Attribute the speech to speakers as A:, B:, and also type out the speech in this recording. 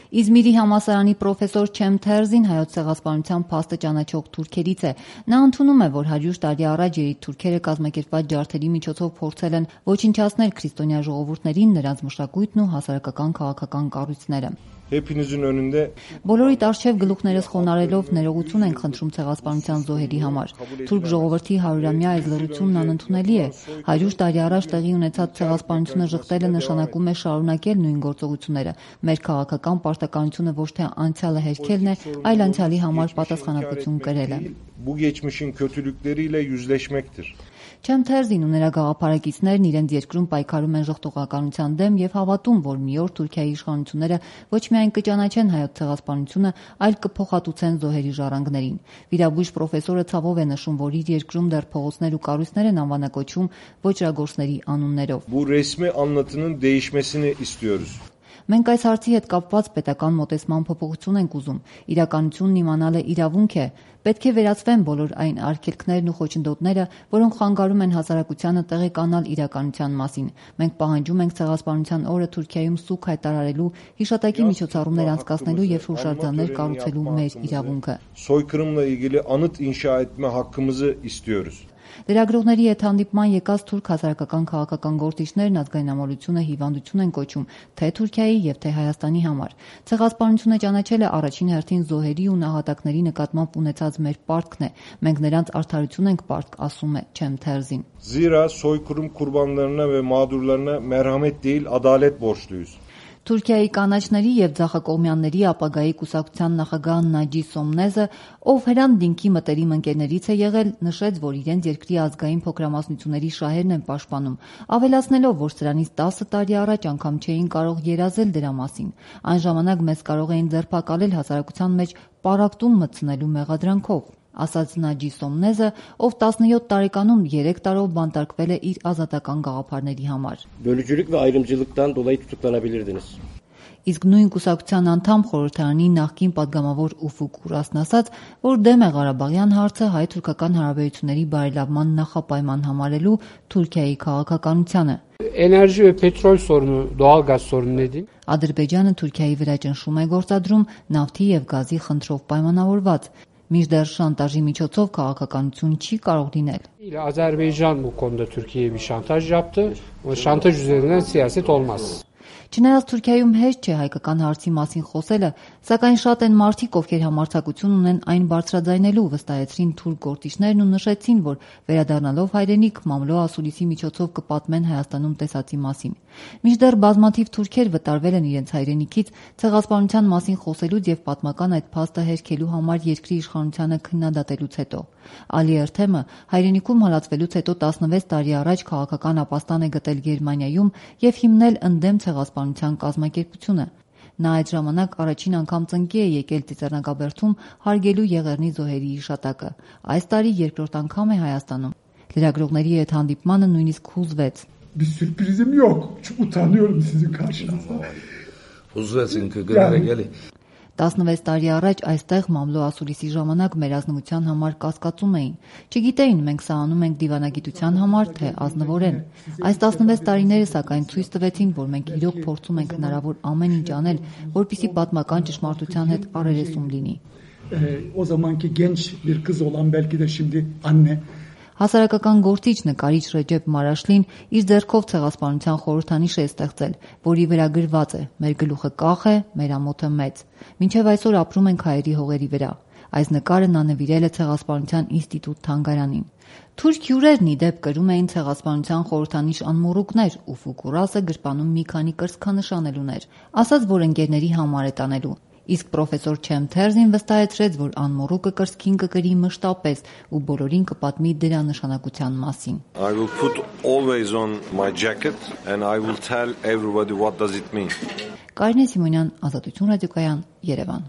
A: Իզմիրի համալսարանի պրոֆեսոր Չեմ Թերզին հայոց ցեղասպանության փաստը ճանաչող թուրքերից է։ Նա ընդունում է, որ 100 տարի առաջ երիտթուրքերը կազմակերպված ջարդերի միջոցով փորձել են ոչնչացնել քրիստոնյա ժողովուրդներին, նրանց մշակույթն ու հասարակական քաղաքական կառույցները։ Բոլորիդ առջև գլուխներս խոնարելով ներողություն ենք խնդրում ցեղասպանության զոհերի համար։ Թուրք ժողովրդի 100-ամյա այս լռությունն անընդունելի է։ 100 տարի առաջ տեղի ունեցած ցեղասպանությունը ժխտելը նշանակում է շարունակել նույն գործողությունները։ Մեր քաղաքական պարտականությունը ոչ թե անցյալը հերքելն է, այլ անցյալի համար պատասխանատվություն կրելը։ Չեմ Թերզին ու նրա գաղափարակիցներն իրենց երկրում պայքարում են ժխտողականության դեմ եւ հավատում, որ մի օր Թուրքիայի իշխանությունները ոչ միայն կճանաչեն հայոց ցեղասպանությունը, այլ կփոխհատուցեն զոհերի ժառանգներին։ Վիրաբույժ պրոֆեսորը ցավով է նշում, որ իր երկրում դեռ փողոցներ ու կառույցներ են անվանակոչվում ոճրագործների անուններով։ Մենք այս հարցի հետ կապված պետական մոտեցման փոփոխություն ենք ուզում։ Իրականությունն իմանալը իրավունք է։ Պետք է վերացվեն բոլոր այն արգելքներն ու խոչընդոտները, որոնք խանգարում են հասարակությանը տեղեկանալ իրականության մասին։ Մենք պահանջում ենք ցեղասպանության օրը Թուրքիայում սուգ հայտարարելու, հիշատակի միջոցառումներ անցկացնելու եւ հուշարձաններ կառուցելու մեր իրավունքը։ Լրագրողների հետ հանդիպման եկած թուրք հասարակական քաղաքական գործիչներն ազգայնամոլությունը հիվանդություն են կոչում թե Թուրքիայի եւ թե Հայաստանի համար։ Ցեղասպանությունը ճանաչելը առաջին հերթին զոհերի ու նահատակների նկատմամբ ունեցած մեր պարտքն է։ Մենք նրանց արդարություն ենք պարտք, ասում է Չեմ Թերզին։ Թուրքիայի կանաչների եւ ձախակողմյանների ապագայի կուսակցության նախագահ Նաջի Սոմնեզը, ով Հրանտ Դինքի մտերիմ ընկերներից է եղել, նշեց, որ իրենց երկրի ազգային փոքրամասնությունների շահերն են պաշտպանում, ավելացնելով, որ սրանից 10 տարի առաջ անգամ չէին կարող երազել դրա մասին։ Այն ժամանակ մեզ կարող էին ձերբակալել հասարակության մեջ պառակտում մտցնելու մեղադրանքով, ասաց Նաջի Սոմնեզը, ով 17 տարեկանում 3 տարով բանտարկվել է իր ազատական գաղափարների համար։ Իսկ նույն կուսակցության անդամ խորհրդարանի նախկին падգամավոր Ուֆուկ Ուրասն ասաց, որ դեմ է Ղարաբաղյան հարցը հայ-թուրքական հարաբերությունների բարելավման նախապայման համարելու Թուրքիայի քաղաքականությանը։ Ադրբեջանը Թուրքիայի վրա ճնշում է գործադրում նավթի եւ գազի խնդրով պայմանավորված, մինչդեռ շանտաժի միջոցով քաղաքականություն չի կարող լինել։ Չնայած Թուրքիայում հեշտ չէ հայկական հարցի մասին խոսելը, սակայն շատ են մարդիկ, ովքեր համարձակություն ունեն այն բարձրաձայնելու, վստահեցրին թուրք գործիչներն ու նշեցին, որ վերադառնալով հայրենիք մամլո ասուլիսի միջոցով կպատմեն Հայաստանում տեսածի մասին։ Մինչդեռ բազմաթիվ թուրքեր վտարվել են իրենց հայրենիքից ցեղասպանության մասին խոսելուց եւ պատմական այդ փաստը հերքելու համար երկրի իշխանությանը քննադատելուց հետո։ Ալի Էրթեմը հայրենիքում հալածվելուց հետո 16 տարի առաջ քաղաքական ապաստան է գտել Գերմանիայում եւ հիմնել ընդդեմ ցեղասպանության կազմակերպությունը։ Նա այդ ժամանակ առաջին անգամ ծնկի է եկել Ծիծեռնակաբերդում հարգելու Եղեռնի զոհերի հիշատակը։ Այս տարի երկրորդ անգամ է Հայաստանում։ Լրագրողների հետ հանդիպմանը նույնիսկ հուզվեց։ 16 տարի առաջ այստեղ մամլո ասուլիսի ժամանակ մեր ազնվության համար կասկածում էին։ Չգիտեին մենք սա անում ենք դիվանագիտության համար, թե ազնվորեն։ Այս 16 տարիները սակայն ցույց տվեցին, որ մենք իրոք փորձում ենք հնարավոր ամեն ինչ անել, որպեսզի պատմական ճշմարտության հետ առերեսում լինի։ Հասարակական գործիչ նկարիչ Ռեջեփ Մարաշլին իր ձեռքով ցեղասպանության խորհրդանիշ է ստեղծել, որի վրա գրված է. «Մեր գլուխը կախ է, մեր ամոթը մեծ։ Մինչև այսօր ապրում ենք հայերի հողերի վրա»։ Այս նկարը նա նվիրել է Ցեղասպանության ինստիտուտ թանգարանին։ Թուրք հյուրերն ի դեպ կրում էին Ցեղասպանության խորհրդանիշ անմոռուկներ, ու Ուֆուկ Ուրասը գրպանում մի քանի կրծքանշանելուներ, ասաց, որ ընկերների համար է տանելու։ Իսկ պրոֆեսոր Չեմ Թերզին վստահեցրեց, որ անմոռուկը կրծքին կկրի մշտապես ու բոլորին կպատմի դրա նշանակության մասին։ Կարինե Սիմոնյան, Ազատություն ռադիոկայան, Երևան։